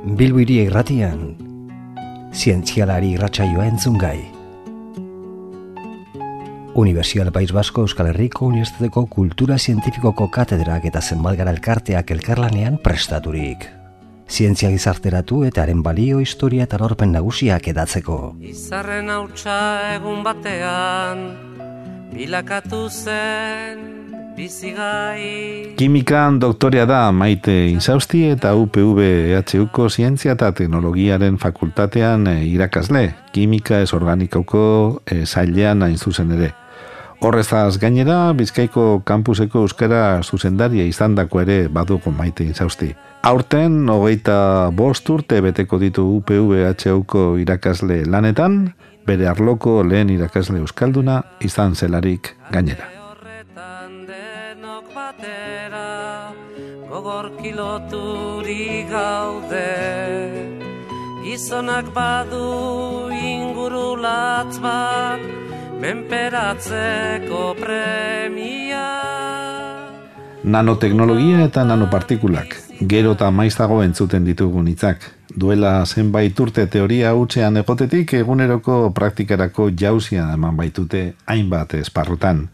Bilbo Hiria Irratian, zientzialari irratsaioa entzungai. Unibertsitate País Basko Euskal Herriko Unibertsitateko Kultura Zientifikoko katedrak eta zenbat elkarteak elkarlanean prestaturik. Zientzia gizarteratu eta haren balio, historia eta lorpen nagusiak edatzeko. Izarren hautsa egun batean, bilakatu zen bizigai. Kimikan doktorea da Maite Insausti eta UPV-EHUko Zientzia eta Teknologiaren fakultatean irakasle. Kimika ez organikoko sailean hain zuzen ere. Horrezaz gainera, Bizkaiko kampuseko euskara zuzendaria izandako ere badugu Maite Insausti. Aurten, 25 urte beteko ditu UPV-EHUko irakasle lanetan, bere arloko lehen irakasle euskalduna izan zelarik gainera. Gogor kiloturi gaude, gizonak badu ingurulatz bat, menperatzeko premia. Nanoteknologia eta nanopartikulak, gero eta maiztago entzuten ditugun hitzak. Duela zenbait urte teoria hutsean egotetik, eguneroko praktikarako jauzia eman baitute hainbat esparrutan.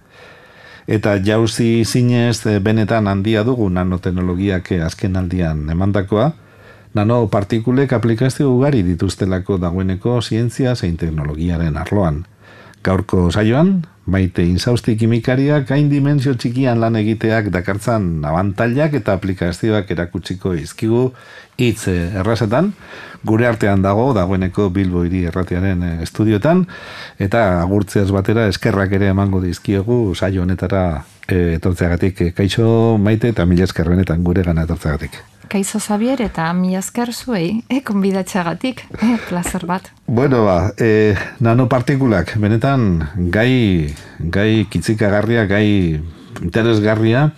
Eta jauzi zinez benetan handia dugu nanoteknologiak azken aldian emandakoa, nanopartikulek aplikazio ugari dituztelako dagoeneko zientzia zein teknologiaren arloan. Gaurko saioan, Maite Insausti kimikariak hain dimensio txikian lan egiteak dakartzan abantailak eta aplikazioak erakutsiko izkigu hitz errazetan, gure artean dagoeneko Bilbo Hiria Irratiaren estudioetan, eta agurtzeaz batera eskerrak ere emango dizkiegu saio honetara etortzeagatik. Kaixo Maite eta mila esker benetan gure gana etortzeagatik. Kaixo Xabier eta mila esker zuei, konbidatzeagatik, plazer bat. Bueno, nanopartikulak, benetan gai kitzikagarria, gai interesgarria,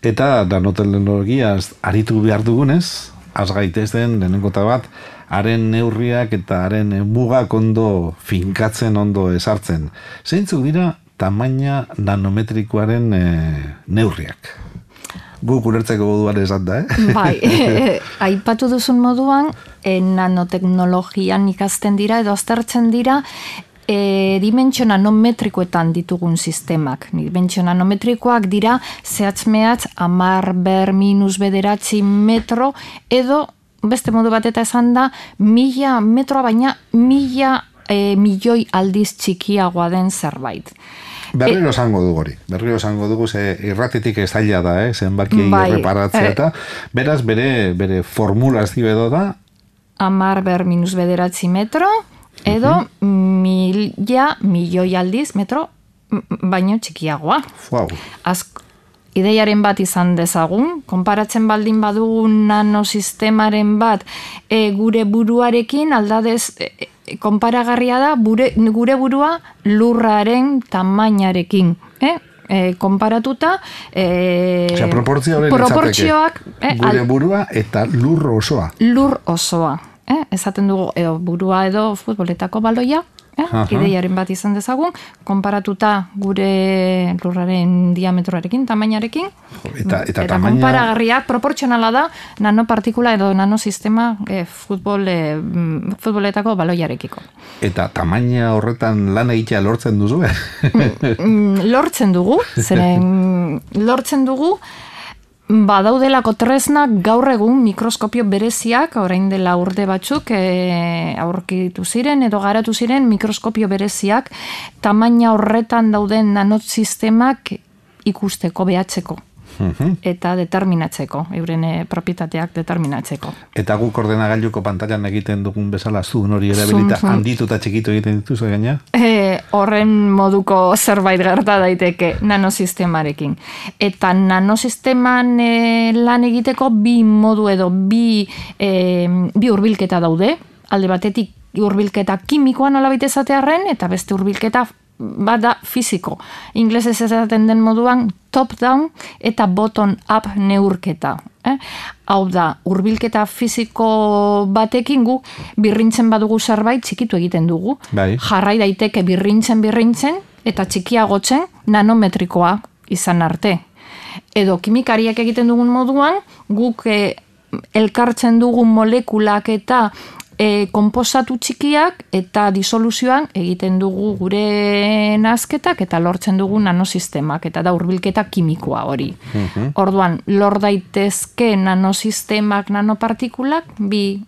eta nanoteknologiaz aritu behar dugunez, az gaitezen lehenengo bat, haren neurriak eta haren mugak ondo finkatzen, ondo esartzen. Zeintzuk dira tamaina nanometrikoaren neurriak? Guk ulertzeko moduan esan da, Bai, aipatu duzun moduan, nanoteknologian ikasten dira edo aztertzen dira dimentsio nanometrikoetan ditugun sistemak. Dimentsio nanometrikoak dira zehatz-mehatz 10⁻⁻⁹ metro edo beste modu bat eta esan da 1000 metroa baina 1000 milioi aldiz txikiagoa den zerbait. Berriro esango dugu hori. Berriro esango dugu ze irratitik ez zaila da, zenbakiei erreparatzea eta beraz bere formulazio edo da 10⁻⁻⁹ metro edo 1000 milioi aldiz metro baino txikiagoa. Wow. Ideiaren bat izan dezagun, konparatzen baldin badugun nanosistemaren bat gure buruarekin aldadez konparagarria da gure burua lurraren tamainarekin. Konparatuta proportzioak gure burua eta lur osoa. Lur osoa. Esaten dugu burua edo futboletako baloia. Ideiaren bat izan dezagun, konparatuta gure lurraren diametroarekin, tamainarekin, eta konparagarriak proportzionala da nanopartikula edo nanosistema futboletako baloiarekiko. Eta tamaina horretan lan egitea lortzen duzu? Lortzen dugu, badaudelako tresnak gaur egun mikroskopio bereziak, orain dela urte batzuk aurkitu ziren edo garatu ziren mikroskopio bereziak tamaina horretan dauden nanosistemak ikusteko, behatzeko eta determinatzeko, euren propietateak determinatzeko. Eta guk ordenagailuko pantailan egiten dugun bezala zuen hori erabilita handitu eta txikitu egiten dituzu gaina? Horren moduko zerbait gerta daiteke nanosistemarekin. Eta nanosisteman lan egiteko bi modu edo bi hurbilketa daude. Alde batetik hurbilketa kimikoa nolabait esatearren eta beste hurbilketa bada fisiko. Inglesez esaten den moduan top-down eta bottom-up neurketa. Hau da, hurbilketa fisiko batekin gu birrintzen badugu zerbait txikitu egiten dugu. Bai. Jarrai daiteke birrintzen eta txikiagotzen nanometrikoa izan arte. Edo kimikariak egiten dugun moduan guk elkartzen dugun molekulak eta konposatu txikiak eta disoluzioan egiten dugu gure nazketak eta lortzen dugu nanosistemak eta da hurbilketa kimikoa hori. Orduan, lor daitezke nanosistemak, nanopartikulak, bi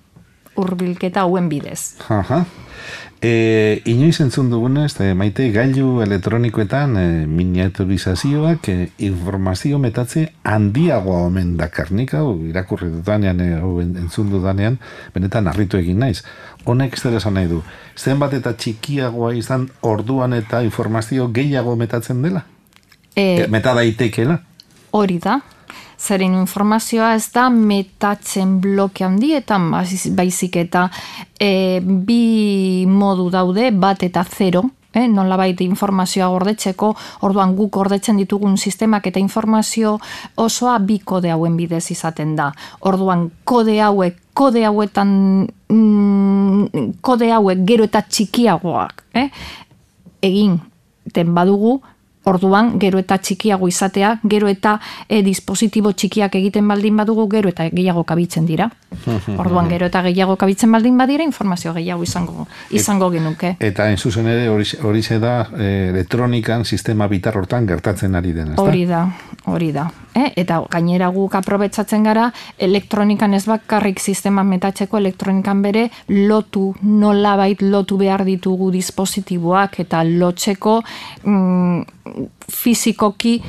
hurbilketa hauen bidez. Inoiz entzun dugunez, Maite, gailu elektronikoetan miniaturizazioak informazio metatze handiagoa omen dakarnik, hau irakurri dudanean, entzun dudanean, benetan harritu egin naiz. Honek zer esan nahi du, zenbat eta txikiagoa izan orduan eta informazio gehiago metatzen dela? Meta daitekeela? Hori da. Zeren informazioa ez da metatzen bloke handietan, baizik eta bi modu daude, bat eta zero, nolabait informazioa gordetzeko, orduan guk gordetzen ditugun sistemak eta informazio osoa bi kode hauen bidez izaten da. Orduan kode hauek gero eta txikiagoak egin den badugu, orduan, gero eta txikiago izatea, gero eta dispositibo txikiak egiten baldin badugu, gero eta gehiago kabitzen dira. Orduan, gero eta gehiago kabitzen baldin badira, informazio gehiago izango genuke. Eta en zuzen ere, hori da elektronikan sistema bitar hortan gertatzen ari den, ezta? Hori da. Eta gainera guk aprobetsatzen gara, elektronikan ez bakarrik sistema metatzeko, elektronikan bere nolabait lotu behar ditugu dispositiboak eta lotzeko fizikoki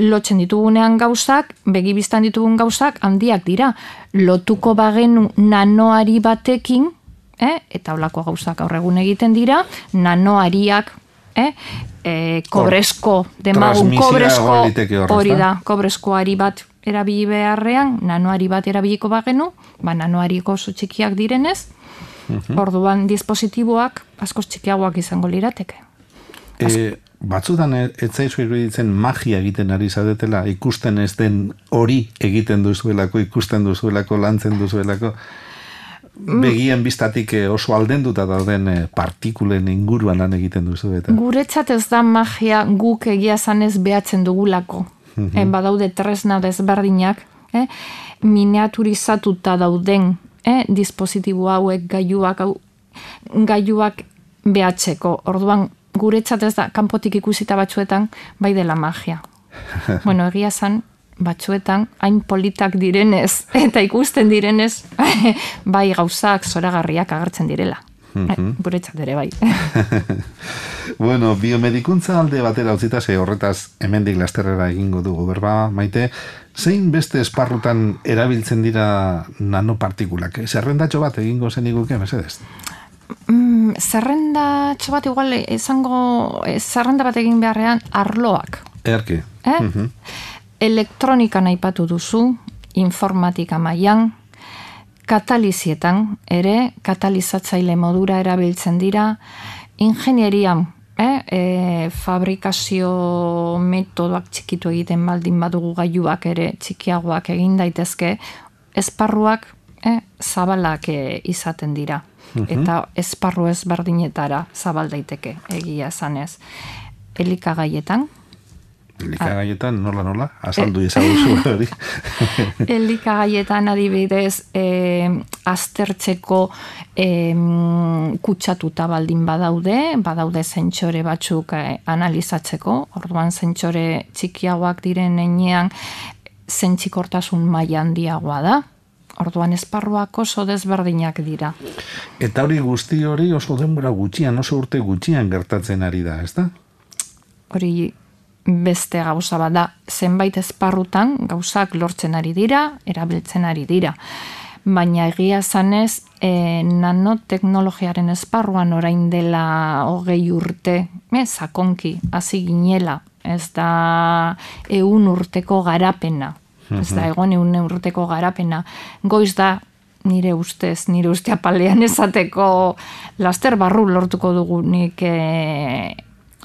lotzen ditugunean gauzak, begibiztan ditugun gauzak handiak dira. Lotuko bagenu nanoari batekin, eta holako gauzak gaur egun egiten dira, nanoariak, kobresko, demagun kobresko, hori da, kobreskoari bat erabili beharrean, nanoari bat erabiliko bagenu, nanoariko oso txikiak direnez, orduan dispositiboak askoz txikiagoak izango lirateke. Batzutan ez zaizu iruditzen magia egiten ari zadetela, ikusten ez den hori egiten duzuelako, ikusten duzuelako, lantzen duzuelako, begien biztatik oso aldenduta dauden partikulen inguruan lan egiten duzu eta. Guretzat ez da magia guk egia zanez behatzen dugulako. Badaude tresna desberdinak, miniaturizatuta dauden dispositibo hauek gailuak behatzeko. Orduan, guretzat ez da, kanpotik ikusita batzuetan, bai dela magia. Bueno, egia zan, batzuetan, hain politak direnez, eta ikusten direnez, bai gauzak zoragarriak agertzen direla. Guretzat ere bai. Bueno, biomedikuntza alde batera utzita, horretaz hemendik lasterrera egingo dugu, berba, Maite, zein beste esparrutan erabiltzen dira nanopartikulak? Zerrendatxo bat egingo zeniguke, mesedez? Zerrendatxo bat igual zerrenda bat egin beharrean arloak. Erke. Elektronikan aipatu duzu, informatika mailan, katalizietan ere, katalizatzaile modura erabiltzen dira, ingenierian, fabrikazio metodoak txikitu egiten baldin badugu gailuak ere txikiagoak egin daitezke, esparruak zabalak izaten dira. Eta esparru ezberdinetara zabal daiteke, egia zanez. Elikagaietan. Elikagaietan, nola? Azaldu ezaguzu hori. Elikagaietan adibidez, aztertzeko kutsatuta baldin badaude zentsore batzuk analizatzeko, orduan zentsore txikiagoak diren heinean zentzikortasun maila handiagoa da. Orduan esparruak oso desberdinak dira. Eta hori guzti hori oso denbora gutxian, oso urte gutxian gertatzen ari da, ezta? Hori beste gauza bat da, zenbait esparrutan gauzak lortzen ari dira, erabiltzen ari dira. Baina egia zanez, nanoteknologiaren esparruan orain dela 20 urte, sakonki, hasi ginela, ez da 100 urteko garapena. Ez da, egon 100 urteko garapena. Goiz da, nire uste apalean esateko laster barru lortuko dugunik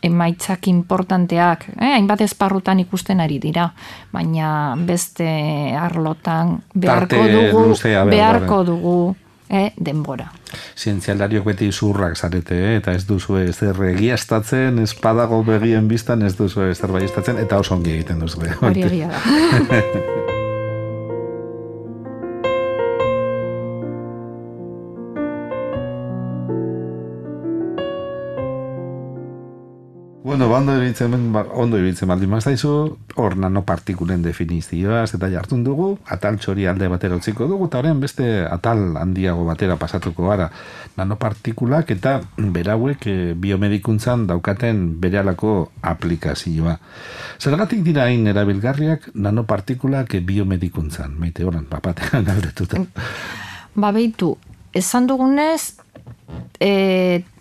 emaitzak importanteak. Hainbat esparrutan ikusten ari dira, baina beste arlotan beharko dugu denbora. Zientzialariok beti zurrak zarete, eta ez duzu zer egiaztatzen, ez padago begien biztan, ez duzu zer baiestatzen, eta oso ongi egiten duzu. Hori egia da. Bueno, ondo iruditzen baldin mazaizu, hor nanopartikulen definizioaz eta jartun dugu, atal txori alde batera utziko dugu, eta horren beste atal handiago batera pasatuko gara. Nanopartikulak eta berauek biomedikuntzan daukaten berehalako aplikazioa. Zergatik dira hain erabilgarriak nanopartikulak biomedikuntzan? Maite horan, papatean galdetuta. Behitu, esan dugunez,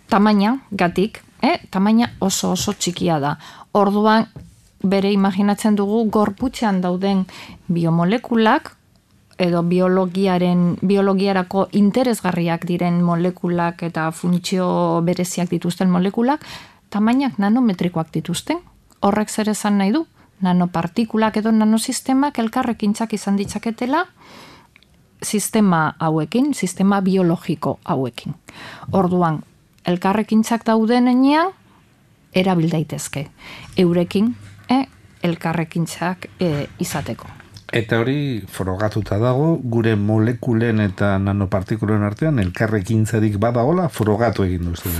tamaina gatik, tamaina oso txikia da. Orduan, bere imaginatzen dugu gorputzean dauden biomolekulak, edo biologiarako interesgarriak diren molekulak eta funtzio bereziak dituzten molekulak, tamainak nanometrikoak dituzten. Horrek zer esan nahi du? Nanopartikulak edo nanosistemak elkarrekintzak izan ditzaketela sistema hauekin, sistema biologiko hauekin. Orduan, elkarrekintzak dauden enean, erabil daitezke. Eurekin, elkarrekintzak izateko. Eta hori frogatuta dago, gure molekulen eta nanopartikulen artean elkarrekintzarik badagola frogatu egin duzu.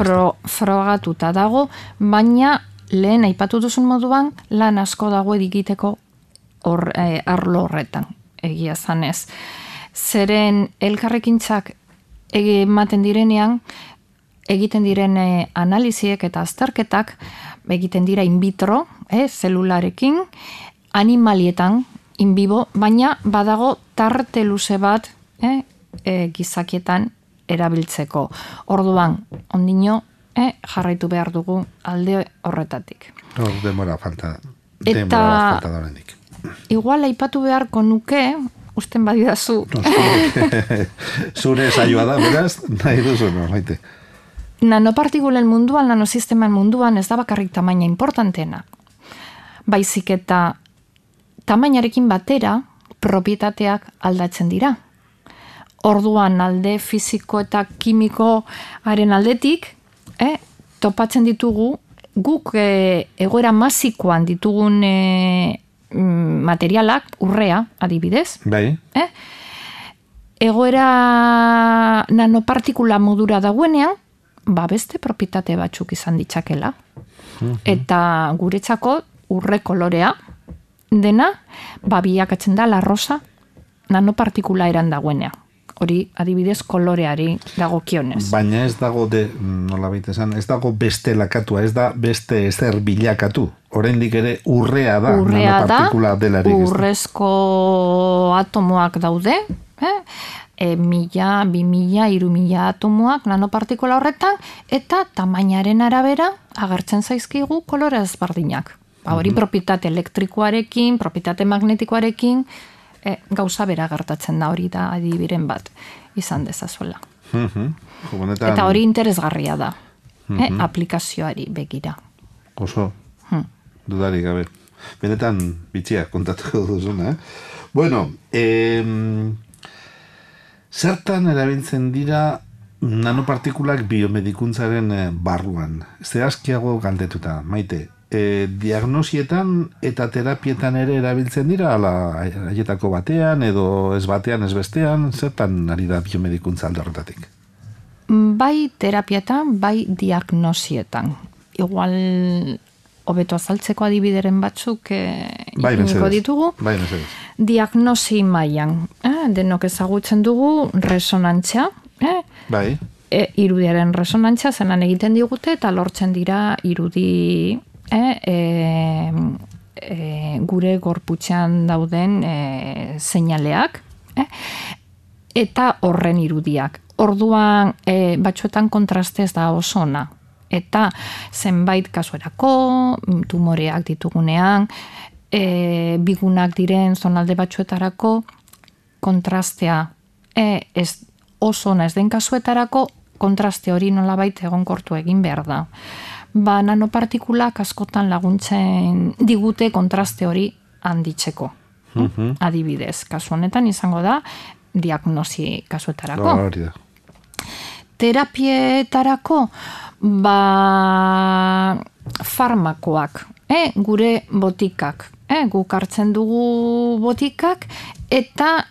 Frogatuta dago, baina lehen aipatu duzun moduan lan asko dago egiteko arlo horretan, egia zanez. Zeren elkarrekintzak ematen direnean, egiten diren analiziek eta azterketak egiten dira in vitro, zelularekin, animalietan, in vivo, baina badago tarte luze bat gizakietan erabiltzeko. Orduan, ondino, jarraitu behar dugu alde horretatik. Demora falta da horrendik. Igual aipatu beharko nuke, usten badidazu. Zure saioa da, beraz, nahi duzu, no, maite. Nanopartikulen munduan, nanosisteman munduan ez da bakarrik tamaina importantena. Baizik eta tamainarekin batera propietateak aldatzen dira. Orduan alde fisiko eta kimikoaren aldetik, topatzen ditugu guk egoera masikoan ditugun materialak, urrea, adibidez. Bai. Egoera nanopartikula modura dagoenean, beste propietate batzuk izan ditzakela. Eta guretzako urre kolorea dena, biakatzen da la rosa nanopartikula eran dagoenea. Hori adibidez koloreari dagokionez. Baina ez dago ez dago beste lakatua, ez da beste ezer bilakatu. Oraindik ere urrea da nanopartikula delarik. Urrezko atomoak daude, 1000, 2000, 3000 atomoak nanopartikula horretan, eta tamainaren arabera agertzen zaizkigu kolore ezberdinak. Hori propietate elektrikoarekin, propietate magnetikoarekin, gauza bera gertatzen da, hori da adibiren bat izan dezazuela. Eta hori interesgarria da, aplikazioari begira. Oso, dudarik gabe. Benetan bitxia kontatuko duzuna, Bueno, zertan erabiltzen dira nanopartikulak biomedikuntzaren barruan? Zehazkiago galdetuta, Maite. Diagnosietan eta terapietan ere erabiltzen dira, haietako batean, edo ez batean, ez bestean, zertan ari da biomedikuntza alde horretatik? Bai terapietan, bai diagnosietan. Igual hobeto azaltzeko adibideren batzuk ipiniko ditugu. Bai, mesedez. Diagnosi mailan, denok ezagutzen dugu resonantzia, bai. Irudiaren resonantzia zelan egiten digute eta lortzen dira irudi gure gorputzean dauden seinaleak eta horren irudiak. Orduan batzuetan kontrastez da oso ona. Eta zenbait kasuerako, tumoreak ditugunean, bigunak diren zonalde batzuetarako kontrastea ez oso ona ez den kasuetarako kontraste hori nolabait egonkortu egin behar da. Nanopartikulak askotan laguntzen digute kontraste hori handitzeko. Adibidez, kasu honetan izango da diagnosi kasuetarako. Hori da. Terapietarako farmakoak, gure botikak, guk hartzen dugu botikak eta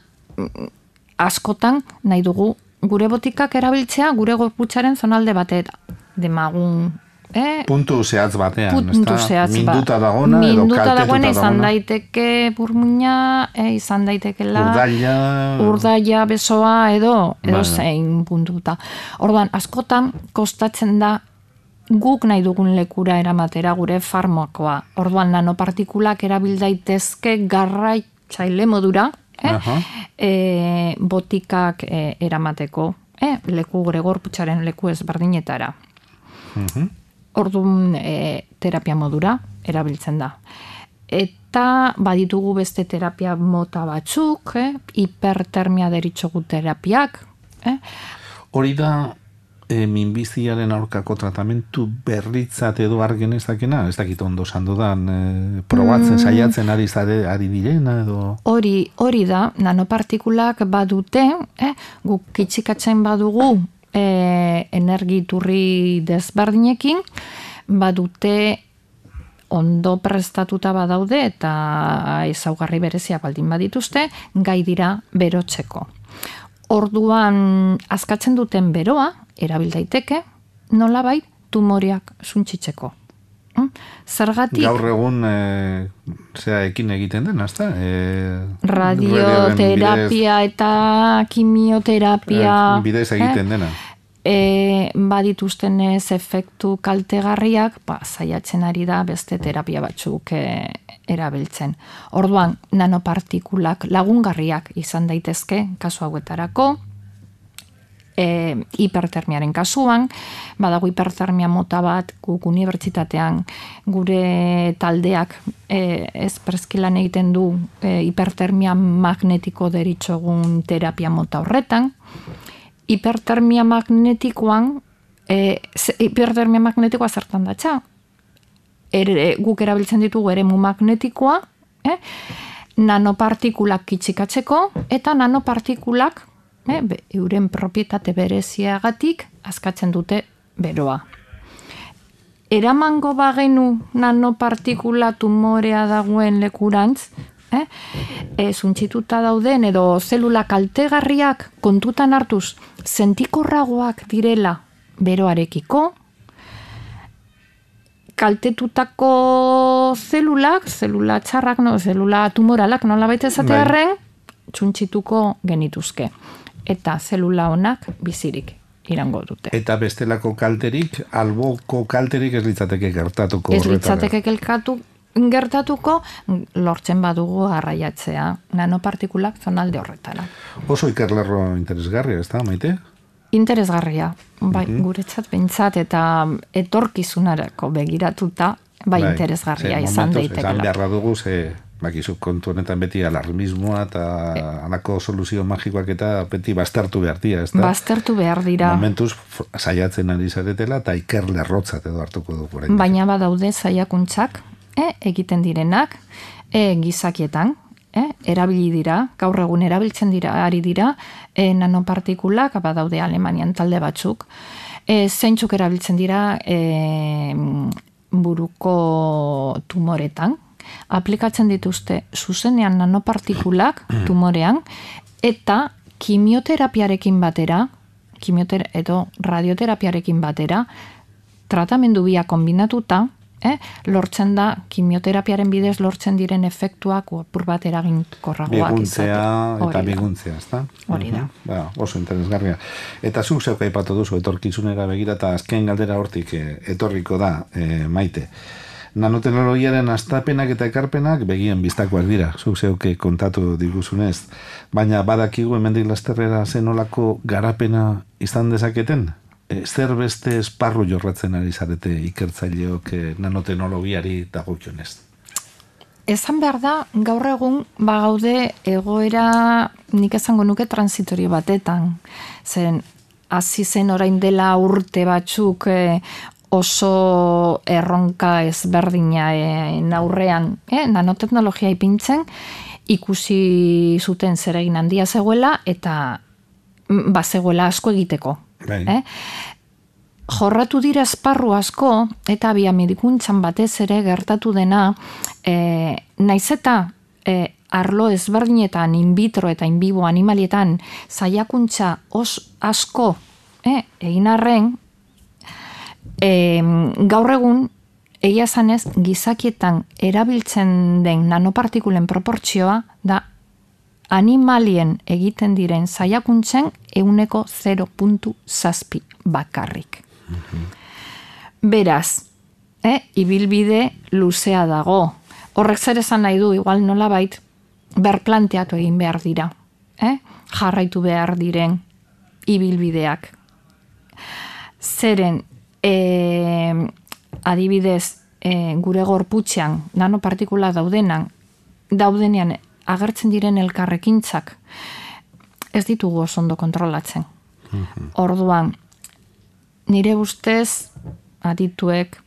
askotan nahi dugu gure botikak erabiltzea gure gorputzaren zonalde batera, demagun Puntu zehatz batean, puntu zehatz minduta dagona edo kaltetuta dagoena izan dagona. daiteke burmuina, izan daitekela urdaila besoa edo zein puntuta. Orduan, askotan kostatzen da guk nahi dugun lekura eramatera gure farmakoa. Orduan, nanopartikulak erabil daitezke garraitzaile modura, botikak eramateko, leku gure gorputzaren leku ezberdinetara. Orduan, terapia modura erabiltzen da. Eta baditugu beste terapia mota batzuk, hipertermia deritzogu terapiak. Hori da minbiziaren aurkako tratamentu berritzat edo argen ez dakena? Ez dakit ondo sandodan, probatzen, saiatzen ari direna edo... Hori da, nanopartikulak badute, guk kitxikatzen badugu energiturri desberdinekin, badute ondo prestatuta badaude eta ezaugarri berezia baldin badituzte, gai dira berotzeko. Orduan, askatzen duten beroa, erabil daiteke, nolabait tumoriak suntsitzeko. Zergatik... Gaur egun, ekin egiten den, ezta? Radioterapia eta kimioterapia... Bidez egiten dena. Badituzten ez efektu kaltegarriak, saiatzen ari da beste terapia batzuk erabiltzen. Orduan, nanopartikulak lagungarriak izan daitezke kasu hauetarako, hipertermiaren kasuan, badago hipertermia mota bat guk unibertsitatean gure taldeak espreskilan egiten du hipertermia magnetiko deritzogun terapia mota horretan. Hipertermia magnetikoa zertan datza. Guk erabiltzen ditugu eremu magnetikoa, nanopartikulak kitxikatzeko, eta nanopartikulak euren propietate bereziagatik askatzen dute beroa. Eramango bagenu nanopartikula tumorea dagoen lekurantz, suntsituta dauden edo zelula kaltegarriak kontutan hartuz sentikorragoak direla beroarekiko, kaltetutako zelula txarrak, zelula tumoralak nolabait esatearren, suntsituko genituzke. Eta zelula honak bizirik irango dute. Eta bestelako kalterik, alboko kalterik ez litzateke gertatuko. Ez litzateke gertatuko, lortzen badugu arraiatzea nanopartikulak zonalde horretara. Oso ikerlerro interesgarria, ez da, Maite? Interesgarria, guretzat behintzat eta etorkizunarako begiratuta, interesgarria izan daitekela. Esan beharra dugu, bakizu kontu honetan beti alarmismoa eta halako soluzio magikoak eta beti baztertu behar dira, ez da? Baztertu behar dira. Momentuz saiatzen ari zaretela eta ikerlerrotzat edo hartuko dugu. Baina badaude saiakuntzak, egiten direnak, gizakietan, erabili dira, gaur egun erabiltzen ari dira, nanopartikulak, badaude Alemanian talde batzuk, zeintzuk erabiltzen dira buruko tumoretan, aplikatzen dituzte zuzenean nanopartikulak tumorean, eta kimioterapiarekin batera, edo radioterapiarekin batera, tratamendu bia kombinatuta, lortzen da, kimioterapiaren bidez lortzen diren efektuak apur bat eraginkorragoak izatea. Eta biguntzea, ez da? Hori da. Oso interesgarria. Eta zuk zeuk aipatu duzu etorkizunera begira, eta azken galdera hortik etorriko da, Maite. Nanoteknologiaren astapenak eta ekarpenak begien biztakoak dira, zuk zeuk kontatu diguzunez. Baina badakigu hemendik lasterrera zenolako garapena izan dezaketen? Zer beste esparru jorratzen ari zarete ikertzaileok nanoteknologiari dagokionez? Esan behar da, gaur egun bagaude egoera nik esango nuke transitorio batetan. Zen, hasi zen orain dela urte batzuk oso erronka ezberdina aurrean nanoteknologia ipintzen, ikusi zuten zeregin handia zegoela eta bazegoela asko egiteko. Jorratu dira esparru asko eta biomedikuntzan batez ere gertatu dena, naiz eta arlo ezberdinetan in vitro eta in vivo animalietan saiakuntza asko egin arren, gaur egun, egia zanez, gizakietan erabiltzen den nanopartikulen proportzioa da animalien egiten diren saiakuntzen 0.7 bakarrik. Beraz, ibilbide luzea dago. Horrek zer esan nahi du, igual nolabait, berplanteatu egin behar dira. Jarraitu behar diren ibilbideak. Zeren, adibidez, gure gorputzean nanopartikula daudenean agertzen diren elkarrekintzak ez ditugu oso ondo kontrolatzen. Orduan, nire ustez adituek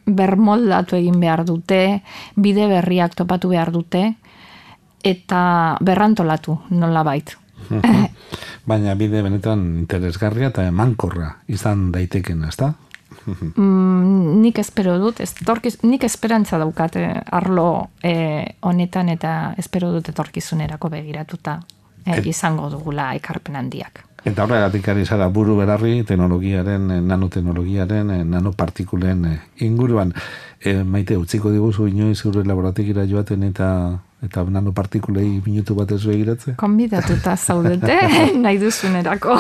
bermoldatu egin behar dute, bide berriak topatu behar dute, eta berrantolatu nolabait. Baina bide benetan interesgarria eta emankorra izan daiteken, ezta? Nik espero dut, nik esperantza daukat arlo honetan eta espero dut etorkizunerako begiratuta izango dugula ekarpen handiak. Eta horregatik ari zara buru berarri teknologiaren, nanoteknologiaren, nanopartikulen inguruan. Maite, utziko diguzu inoiz zure laborategira joaten eta nanopartikulei minutu bat ez begiratze? Konbidatuta zaudete, nahi duzunerako.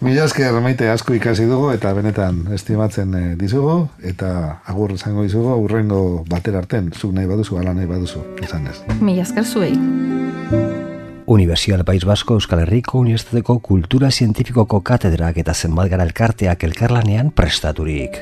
Mila esker, Maite, asko ikasi dugu eta benetan estimatzen dizugu eta agur izango dizugu hurrengo batera arten, zuk nahi baduzu, ala nahi baduzu, izan ez. Mila esker zuei. Universidad País Vasco Euskal Herriko Unibertsitateko Kultura Zientifikoko katedrak eta zenbat gara elkarteak elkarlanean prestaturik.